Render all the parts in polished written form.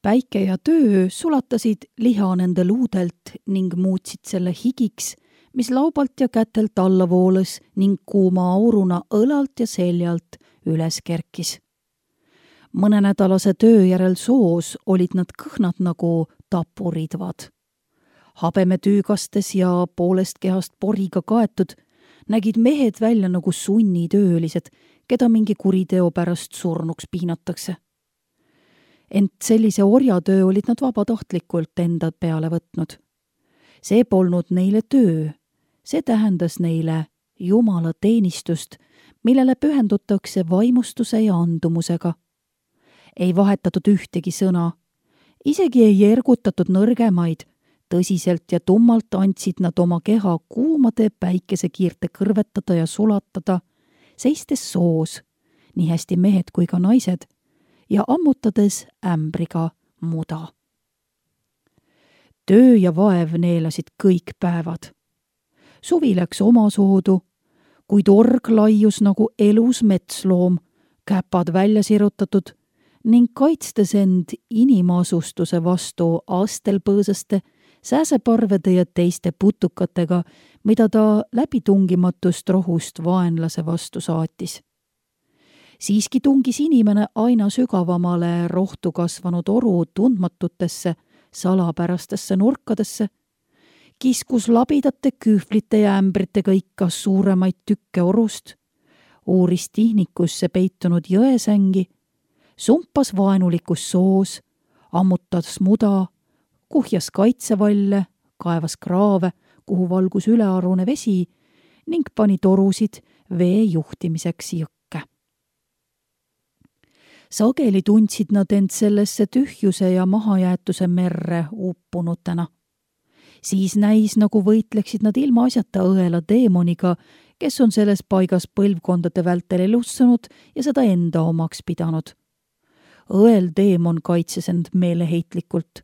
Päike ja töö sulatasid liha nende luudelt ning muutsid selle higiks, mis laubalt ja kätelt alla voolas ning kuuma auruna õlalt ja seljalt üles kerkis. Mõnenädalase töö järel soos olid nad kõhnad nagu tapuridvad. Habeme tüügastes ja poolest kehast poriga kaetud nägid mehed välja nagu sunnitöölised, keda mingi kuriteo pärast surnuks piinatakse. Ent sellise orjatöö olid nad vabatahtlikult enda peale võtnud. See polnud neile töö, see tähendas neile Jumala teenistust, millele pühendutakse vaimustuse ja andumusega. Ei vahetatud ühtegi sõna, isegi ei ergutatud nõrgemaid, tõsiselt ja tummalt andsid nad oma keha kuumade päikesekiirte kõrvetada ja sulatada, seistes soos, nii hästi mehed kui ka naised, ja ammutades ämbriga muda. Töö ja vaev neelasid kõik päevad. Suvi läks omasoodu, kuid org laius nagu elus metsloom, käpad välja sirutatud ning kaitstes end inimasustuse vastu astelpõõsaste, sääseparvede ja teiste putukatega, mida ta läbitungimatust rohust vaenlase vastu saatis. Siiski tungis inimene aina sügavamale rohtu kasvanud oru tundmatutesse, salapärastesse nurkadesse, kiskus labidate kühvlite ja ämbritega ikka suuremaid tükke orust, uuris tihnikusse peitunud jõesängi, sumpas vaenulikus soos, ammutas muda, kuhjas kaitsevalle, kaevas kraave, kuhu valgus ülearune vesi ning pani torusid vee juhtimiseks jõkke. Sageli tundsid nad end sellesse tühjuse ja mahajäetuse merre uppunutena. Siis näis, nagu võitleksid nad ilmaasjata õela teemoniga, kes on selles paigas põlvkondade vältel elussanud ja seda enda omaks pidanud. Õel teemon kaitses end meeleheitlikult.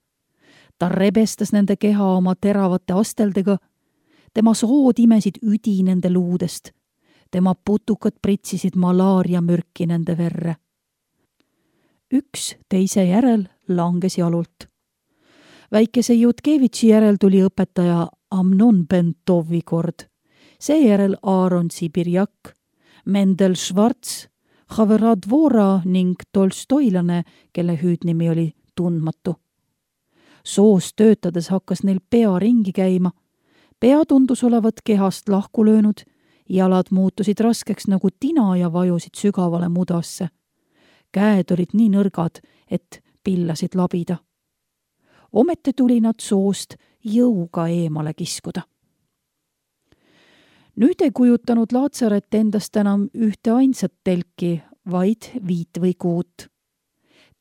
Ta rebestas nende keha oma teravate asteldega, tema sood imesid üdi nende luudest, tema putukad pritsisid malaariamürki nende verre. Üks teise järel langes jalult. Väikese Jutkevitši järel tuli õpetaja Amnon Bentovi kord, seejärel Aaron Sibirjak, Mendel Schwarz, Haverad Vora ning Tolstoilane, kelle hüüdnimi oli tundmatu. Soos töötades hakkas neil pea ringi käima, pea tundus olevat kehast lahku löönud, jalad muutusid raskeks nagu tina ja vajusid sügavale mudasse. Käed olid nii nõrgad, et pillasid labida. Ometi tuli nad soost jõuga eemale kiskuda. Nüüd ei kujutanud Laatsaret endast enam ühte ainsat telki, vaid 5 või 6.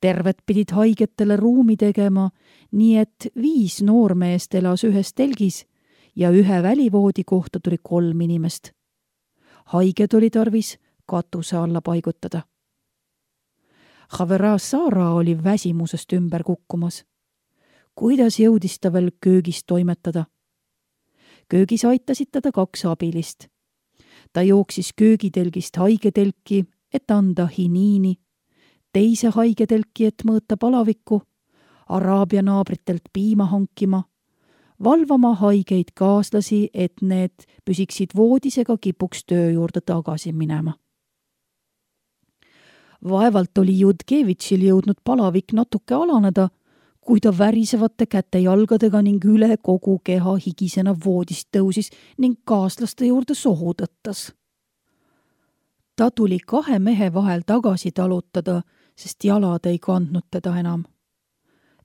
Terved pidid haigetele ruumi tegema, nii et 5 noormeest elas ühes telgis ja ühe välivoodi kohta tuli 3 inimest. Haiged oli tarvis katuse alla paigutada. Havera Saara oli väsimusest ümber kukkumas. Kuidas jõudis ta veel köögis toimetada? Köögis aitasid teda 2 abilist. Ta jooksis köögitelgist haigetelki, et anda hiniini, teise haigetelki, et mõõta palavikku, Araabia naabritelt piima hankima, valvama haigeid kaaslasi, et need püsiksid voodis ega kipuks töö juurde tagasi minema. Vaevalt oli Jutkevitšil jõudnud palavik natuke alaneda, kui ta värisevate käte-jalgadega ning üle kogu keha higisena voodist tõusis ning kaaslaste juurde sohu tõttas. Ta tuli 2 mehe vahel tagasi talutada, sest jalad ei kandnud teda enam.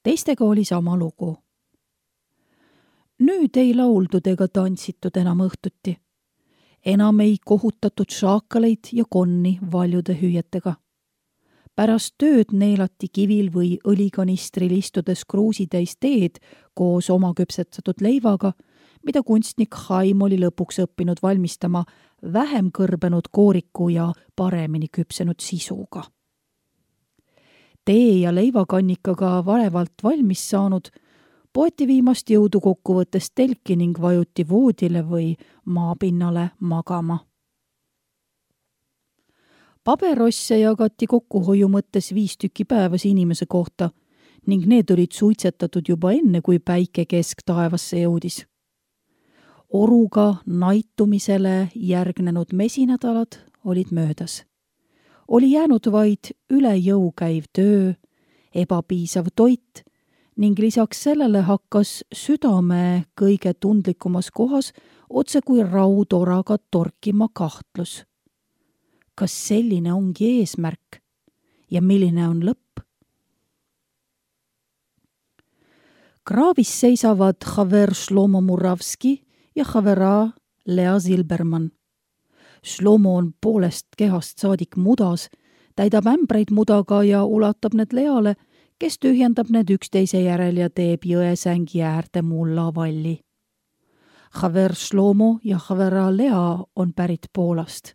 Teistega oli sama lugu. Nüüd ei lauldud ega tantsitud enam õhtuti. Enam ei kohutatud šaakaleid ja konni valjude hüüetega. Pärast tööd neelati kivil või õlikanistril istudes kruusitäis teed koos oma küpsetatud leivaga, mida kunstnik Haim oli lõpuks õppinud valmistama vähem kõrbenud kooriku ja paremini küpsenud sisuga. Tee ja leivakannikaga varevalt valmis saanud, poeti viimast jõudu kokkuvõttes telki ning vajuti voodile või maapinnale magama. Paberosse jagati kokkuhoiu mõttes 5 tükki päevas inimese kohta ning need olid suitsetatud juba enne, kui päike kesktaevasse jõudis. Oruga naitumisele järgnenud mesinädalad olid möödas. Oli jäänud vaid üle jõu käiv töö, ebapiisav toit ning lisaks sellele hakkas südame kõige tundlikumas kohas otse kui raudoraga torkima kahtlus. Kas selline ongi eesmärk ja milline on lõpp? Kraavis seisavad Xaver Shlomo Muravski ja Xavera Lea Zilberman. Shlomo on poolest kehast saadik mudas, täidab ämbreid mudaga ja ulatab need Leale, kes tühjendab need üksteise järel ja teeb jõesängi äärde mullavalli. Xaver Shlomo ja Xavera Lea on pärit Poolast.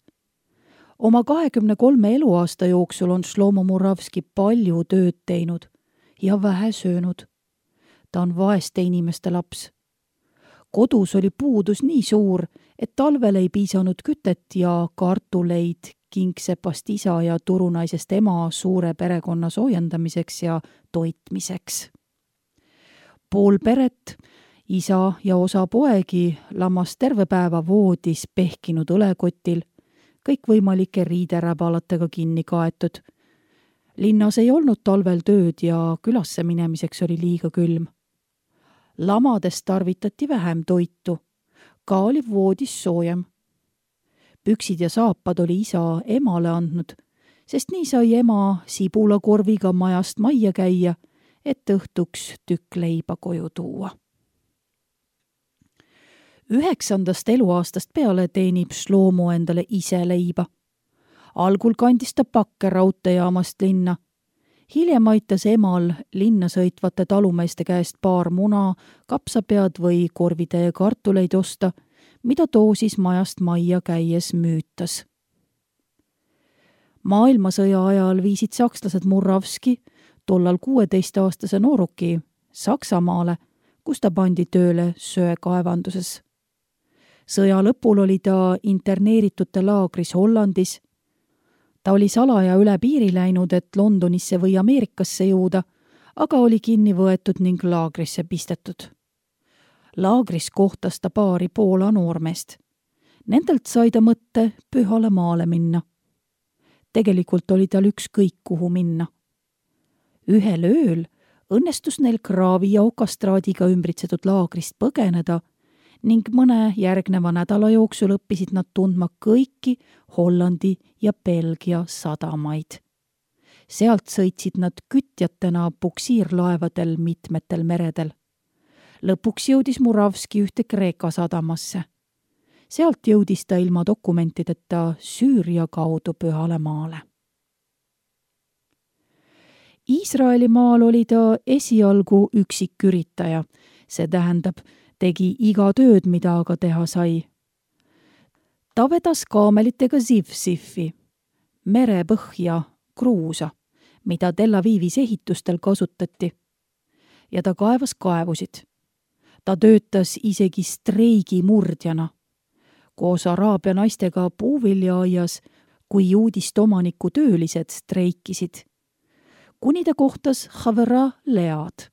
Oma 23 eluaasta jooksul on Shlomo Muravski palju tööd teinud ja vähe söönud. Ta on vaeste inimeste laps. Kodus oli puudus nii suur, et talvel ei piisanud kütet ja kartuleid kingsepast isa ja turunaisest ema suure perekonna soojendamiseks ja toitmiseks. Pool peret, isa ja osa poegi lammas terve päeva voodis pehkinud õlekotil, kõikvõimalike riideräbalatega kinni kaetud. Linnas ei olnud talvel tööd ja külasse minemiseks oli liiga külm. Lamadest tarvitati vähem toitu, ka oli voodis soojem. Püksid ja saapad oli isa emale andnud, sest nii sai ema sibulakorviga majast majja käia, et õhtuks tükk leiba koju tuua. 9. eluaastast peale teenib Shlomo endale ise leiba. Algul kandis ta pakke raudteejaamast linna. Hiljem aitas emal linna sõitvate talumeeste käest paar muna, kapsapead või korvitäie kartuleid osta, mida too siis majast majja käies müütas. Maailmasõja ajal viisid sakslased Muravski, tollal 16-aastase nooruki, Saksamaale, kus ta pandi tööle söekaevanduses. Sõja lõpul oli ta interneeritute laagris Hollandis. Ta oli salaja üle piiri läinud, et Londonisse või Ameerikasse jõuda, aga oli kinni võetud ning laagrisse pistetud. Laagris kohtas ta paari Poola noormeest. Nendelt sai ta mõtte pühale maale minna. Tegelikult oli tal ükskõik kuhu minna. Ühel ööl õnnestus neil kraavi ja okastraadiga ümbritsetud laagrist põgeneda ning mõne järgneva nädala jooksul õppisid nad tundma kõiki Hollandi ja Belgia sadamaid. Sealt sõitsid nad kütjatena puksiirlaevadel mitmetel meredel. Lõpuks jõudis Muravski ühte Kreeka sadamasse. Sealt jõudis ta ilma dokumentideta Süüria kaudu pühale maale. Iisraeli maal oli ta esialgu üksiküritaja, see tähendab, tegi iga tööd, mida aga teha sai. Ta vedas kaamelitega Zivsifi, merepõhja kruusa, mida Tel Avivis ehitustel kasutati. Ja ta kaevas kaevusid. Ta töötas isegi streigi murdjana. Koos araabia naistega puuviljaaias, kui juudist omaniku töölised streikisid. Kuni ta kohtas Xavera Lead.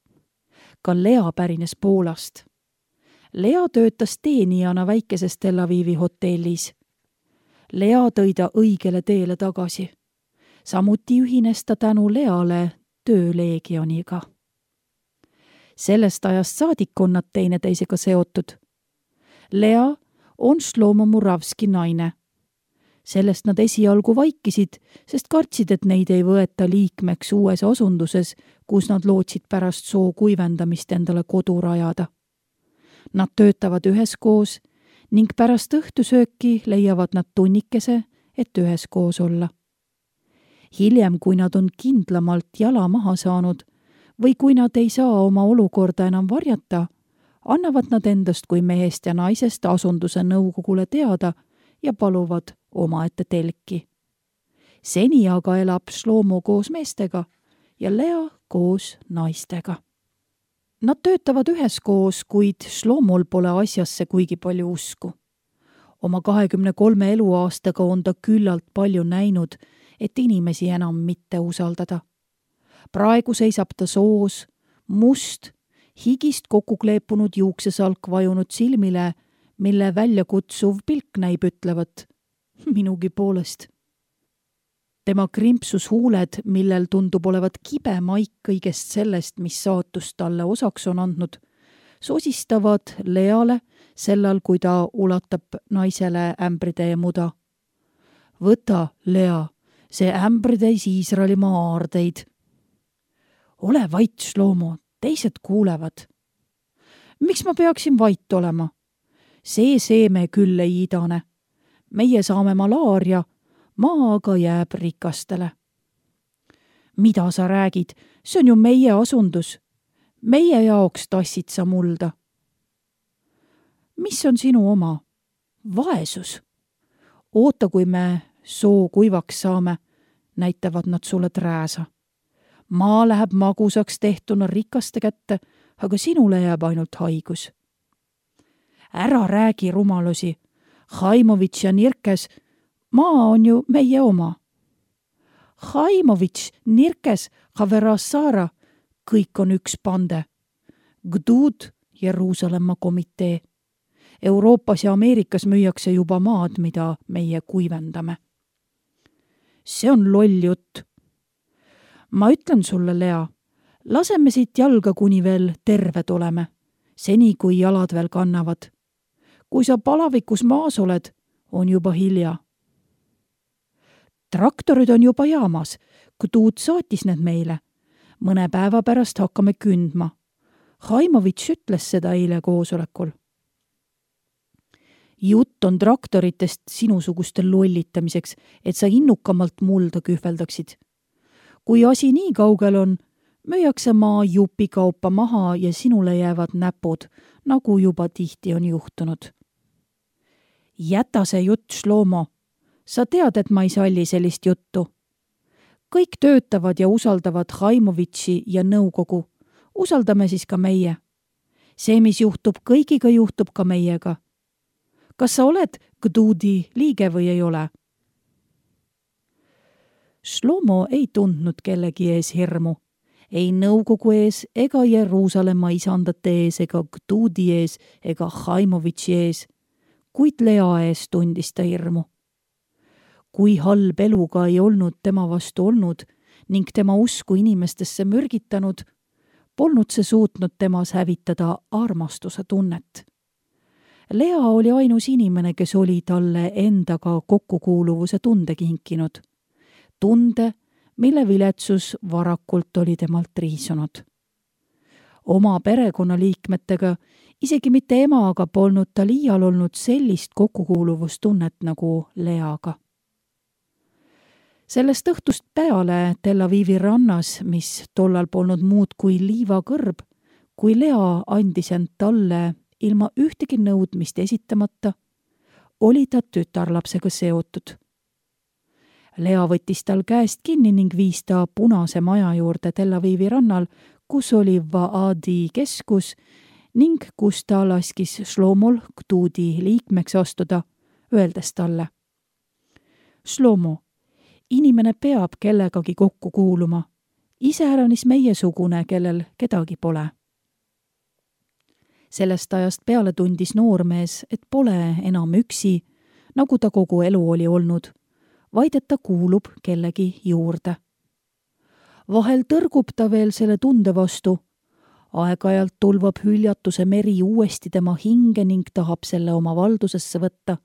Ka Lea pärines Poolast. Lea töötas teenijana väikeses Tel Avivi hotellis. Lea tõi ta õigele teele tagasi. Samuti ühines ta tänu Leale tööleegioniga. Sellest ajast saadik on nad teineteisega seotud. Lea on Shlomo Muravski naine. Sellest nad esialgu vaikisid, sest kartsid, et neid ei võeta liikmeks uues asunduses, kus nad lootsid pärast soo kuivendamist endale kodu rajada. Nad töötavad üheskoos ning pärast õhtusööki leiavad nad tunnikese, et üheskoos olla. Hiljem, kui nad on kindlamalt jala maha saanud või kui nad ei saa oma olukorda enam varjata, annavad nad endast kui mehest ja naisest asunduse nõukogule teada ja paluvad omaette telki. Seni aga elab Shlomo koos meestega ja Lea koos naistega. Nad töötavad üheskoos, kuid Shlomol pole asjasse kuigi palju usku. Oma 23 eluaastaga on ta küllalt palju näinud, et inimesi enam mitte usaldada. praegu seisab ta soos, must, higist kokku kleepunud juuksesalk vajunud silmile, mille väljakutsuv pilk näib ütlevat minugi poolest. Tema krimpsus huuled, millel tundub olevat kibe maik kõigest sellest, mis saatus talle osaks on andnud, sosistavad Leale sellal, kui ta ulatab naisele ämbritäie muda. Võta, Lea, see ämbritäis Iisraelimaa aardeid. Ole vait, Shlomo, teised kuulevad. Miks ma peaksin vait olema? See seeme küll ei idane. Meie saame malaaria, maa aga jääb rikastele. Mida sa räägid? See on ju meie asundus. Meie jaoks tassid sa mulda. Mis on sinu oma? Vaesus. Oota, kui me soo kuivaks saame, näitavad nad sulle trääsa. Maa läheb magusaks tehtuna rikaste kätte, aga sinule jääb ainult haigus. Ära räägi rumalusi. Haimovitš ja Nirkes, maa on ju meie oma. Haimovitš, Nirkes, Haverassara, kõik on üks pande. Gdud, Jeruusalemma komitee. Euroopas ja Ameerikas müüakse juba maad, mida meie kuivendame. See on loll jutt. Ma ütlen sulle, Lea, laseme siit jalga, kuni veel terved oleme, seni kui jalad veel kannavad. Kui sa palavikus maas oled, on juba hilja. Traktorid on juba jaamas, Gdud saatis need meile. Mõne päeva pärast hakkame kündma. Haimovitš ütles seda eile koosolekul. Jutt on traktoritest sinusuguste lollitamiseks, et sa innukamalt mulda kühveldaksid. Kui asi nii kaugel on, müüakse maa jupi kaupa maha ja sinule jäävad näpud, nagu juba tihti on juhtunud. Jäta see jutt, Shlomo. Sa tead, et ma ei salli sellist juttu. Kõik töötavad ja usaldavad Haimovitši ja nõukogu. Usaldame siis ka meie. See, mis juhtub kõigiga, juhtub ka meiega. Kas sa oled Gdudi liige või ei ole? Shlomo ei tundnud kellegi ees hirmu. Ei nõukogu ees ega Jeruusalemma isandate ees ega Gdudi ees ega Haimovitši ees, kuid Lea ees tundis ta hirmu. Kui halb eluga ei olnud tema vastu olnud ning tema usku inimestesse mürgitanud, polnud see suutnud temas hävitada armastuse tunnet. Lea oli ainus inimene, kes oli talle endaga kokkukuuluvuse tunde kinkinud. Tunde, mille viletsus varakult oli temalt riisunud. Oma perekonnaliikmetega, isegi mitte emaga, polnud tal iial olnud sellist kokkukuuluvustunnet nagu Leaga. Sellest õhtust peale Tel Avivi rannas, mis tollal polnud muud kui liivakõrb, kui Lea andis end talle ilma ühtegi nõudmist esitamata, oli ta tütarlapsega seotud. Lea võttis tal käest kinni ning viis ta punase maja juurde Tel Avivi rannal, kus oli Vaadi keskus ning kus ta laskis Shlomol Gdudi liikmeks astuda, öeldes talle: Shlomo, inimene peab kellegagi kokku kuuluma, iseäranis meiesugune, kellel kedagi pole. Sellest ajast peale tundis noormees, et pole enam üksi, nagu ta kogu elu oli olnud, vaid et ta kuulub kellegi juurde. Vahel tõrgub ta veel selle tunde vastu, aeg-ajalt tulvab hüljatuse meri uuesti tema hinge ning tahab selle oma valdusesse võtta,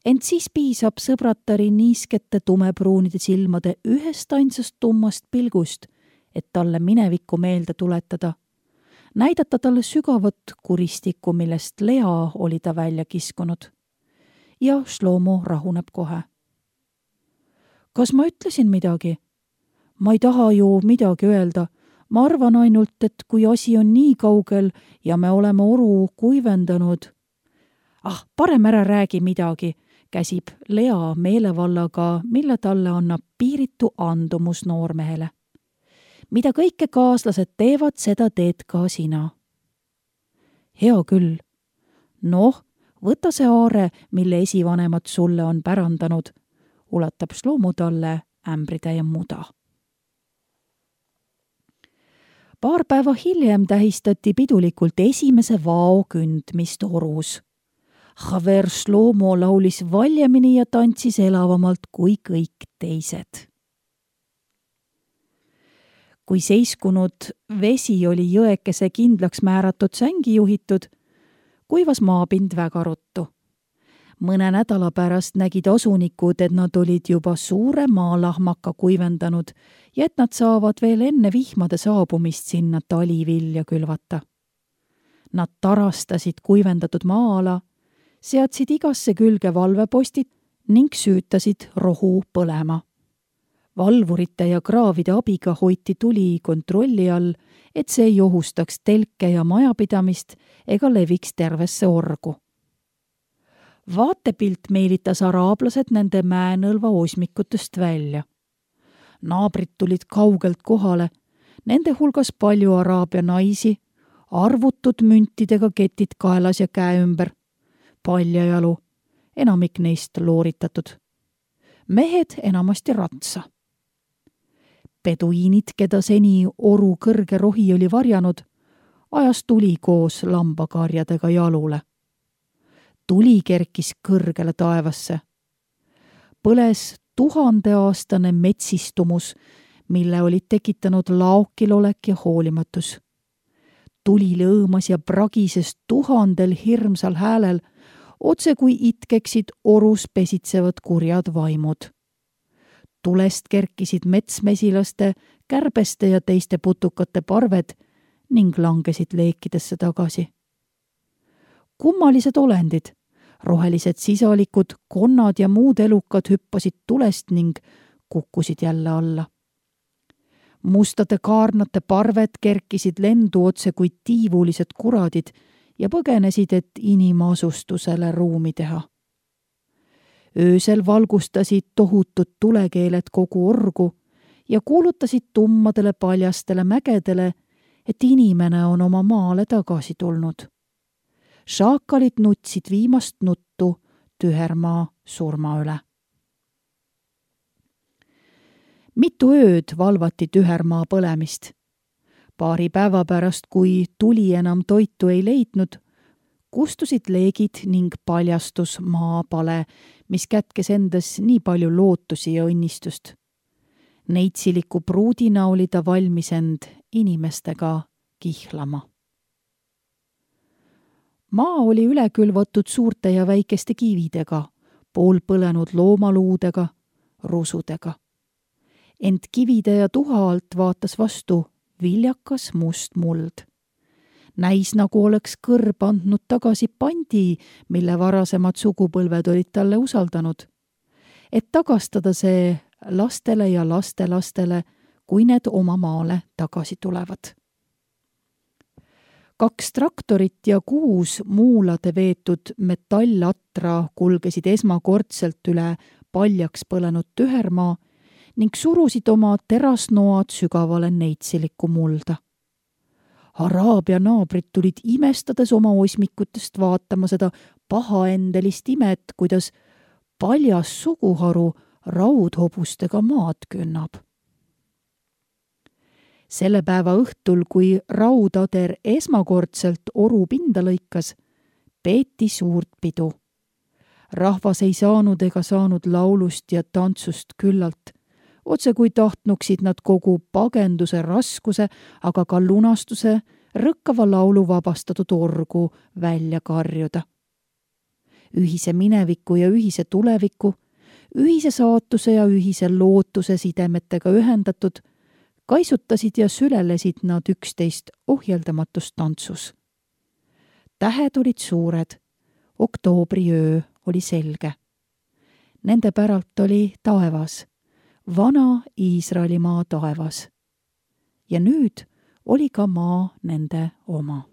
ent siis piisab sõbratari niiskete tumepruunide silmade ühest ainsast tummast pilgust, et talle minevikku meelde tuletada, näidata talle sügavat kuristikku, millest Lea oli ta välja kiskunud. Ja Shlomo rahuneb kohe. Kas ma ütlesin midagi? Ma ei taha ju midagi öelda. Ma arvan ainult, et kui asi on nii kaugel ja me oleme oru kuivendanud. Parem ära räägi midagi, käsib Lea meelevallaga, mille talle annab piiritu andumus noormehele. Mida kõike kaaslased teevad, seda teed ka sina. Hea küll. Noh, võta see aare, mille esivanemad sulle on pärandanud, ulatab Shlomo talle ämbritäie muda. Paar päeva hiljem tähistati pidulikult esimese vao kündmist orus. Haver Shlomo laulis valjemini ja tantsis elavamalt kui kõik teised. Kui seiskunud vesi oli jõekese kindlaks määratud sängi juhitud, kuivas maapind väga ruttu. Mõne nädala pärast nägid asunikud, et nad olid juba suure maalahmaka kuivendanud ja et nad saavad veel enne vihmade saabumist sinna talivilja külvata. Nad tarastasid kuivendatud maa-ala, seadsid igasse külge valvepostid ning süütasid rohu põlema. Valvurite ja kraavide abiga hoiti tuli kontrolli all, et see ei ohustaks telke ja majapidamist ega leviks tervesse orgu. Vaatepilt meelitas araablased nende mäenõlva osmikutest välja. Naabrid tulid kaugelt kohale, nende hulgas palju araabia naisi, arvutud müntidega ketid kaelas ja käe ümber, paljajalu, enamik neist looritatud. Mehed enamasti ratsa. Peduiinid, keda seni oru kõrge rohi oli varjanud, ajas tuli koos lambakarjadega jalule. Tuli kerkis kõrgele taevasse. Põles 1000-aastane metsistumus, mille olid tekitanud laokilolek ja hoolimatus. Tuli lõõmas ja pragises 1000 hirmsal häälel, otse kui itkeksid orus pesitsevad kurjad vaimud. Tulest kerkisid metsmesilaste, kärbeste ja teiste putukate parved ning langesid leekidesse tagasi. Kummalised olendid, rohelised sisalikud, konnad ja muud elukad hüppasid tulest ning kukkusid jälle alla. Mustade kaarnate parved kerkisid lendu otse kui tiivulised kuradid ja põgenesid, et inimasustusele ruumi teha. Öösel valgustasid tohutud tulekeeled kogu orgu ja kuulutasid tummadele paljastele mägedele, et inimene on oma maale tagasi tulnud. Šaakalid nutsid viimast nuttu tühermaa surma üle. Mitu ööd valvati tühermaa põlemist. Paari päeva pärast, kui tuli enam toitu ei leidnud, kustusid leegid ning paljastus maapale, mis kätkes endas nii palju lootusi ja õnnistust. Neitsiliku pruudina oli ta valmis end inimestega kihlama. Maa oli üle külvatud suurte ja väikeste kividega, poolpõlenud loomaluudega, rusudega. Ent kivide ja tuha alt vaatas vastu viljakas must muld. Näis, nagu oleks kõrb andnud tagasi pandi, mille varasemad sugupõlved olid talle usaldanud. Et tagastada see lastele ja lastelastele, kui need oma maale tagasi tulevad. 2 traktorit ja 6 muulade veetud metallatra kulgesid esmakordselt üle paljaks põlenud tühermaa ning surusid oma terasnoad sügavale neitsiliku mulda. Araabia naabrid tulid imestades oma osmikutest vaatama seda pahaendelist imet, kuidas paljas suguharu raudhobustega maad künnab. Selle päeva õhtul, kui raudader esmakordselt oru pinda lõikas, peeti suurt pidu. Rahvas ei saanud ega saanud laulust ja tantsust küllalt, otse kui tahtnuksid nad kogu pagenduse raskuse, aga ka lunastuse rõkkava laulu vabastatud orgu välja karjuda. Ühise mineviku ja ühise tuleviku, ühise saatuse ja ühise lootuse sidemetega ühendatud, kaisutasid ja sülelesid nad üksteist ohjeldamatus tantsus. Tähed olid suured, oktoobriöö oli selge. Nende päralt oli taevas, vana Iisraeli maa taevas. Ja nüüd oli ka maa nende oma.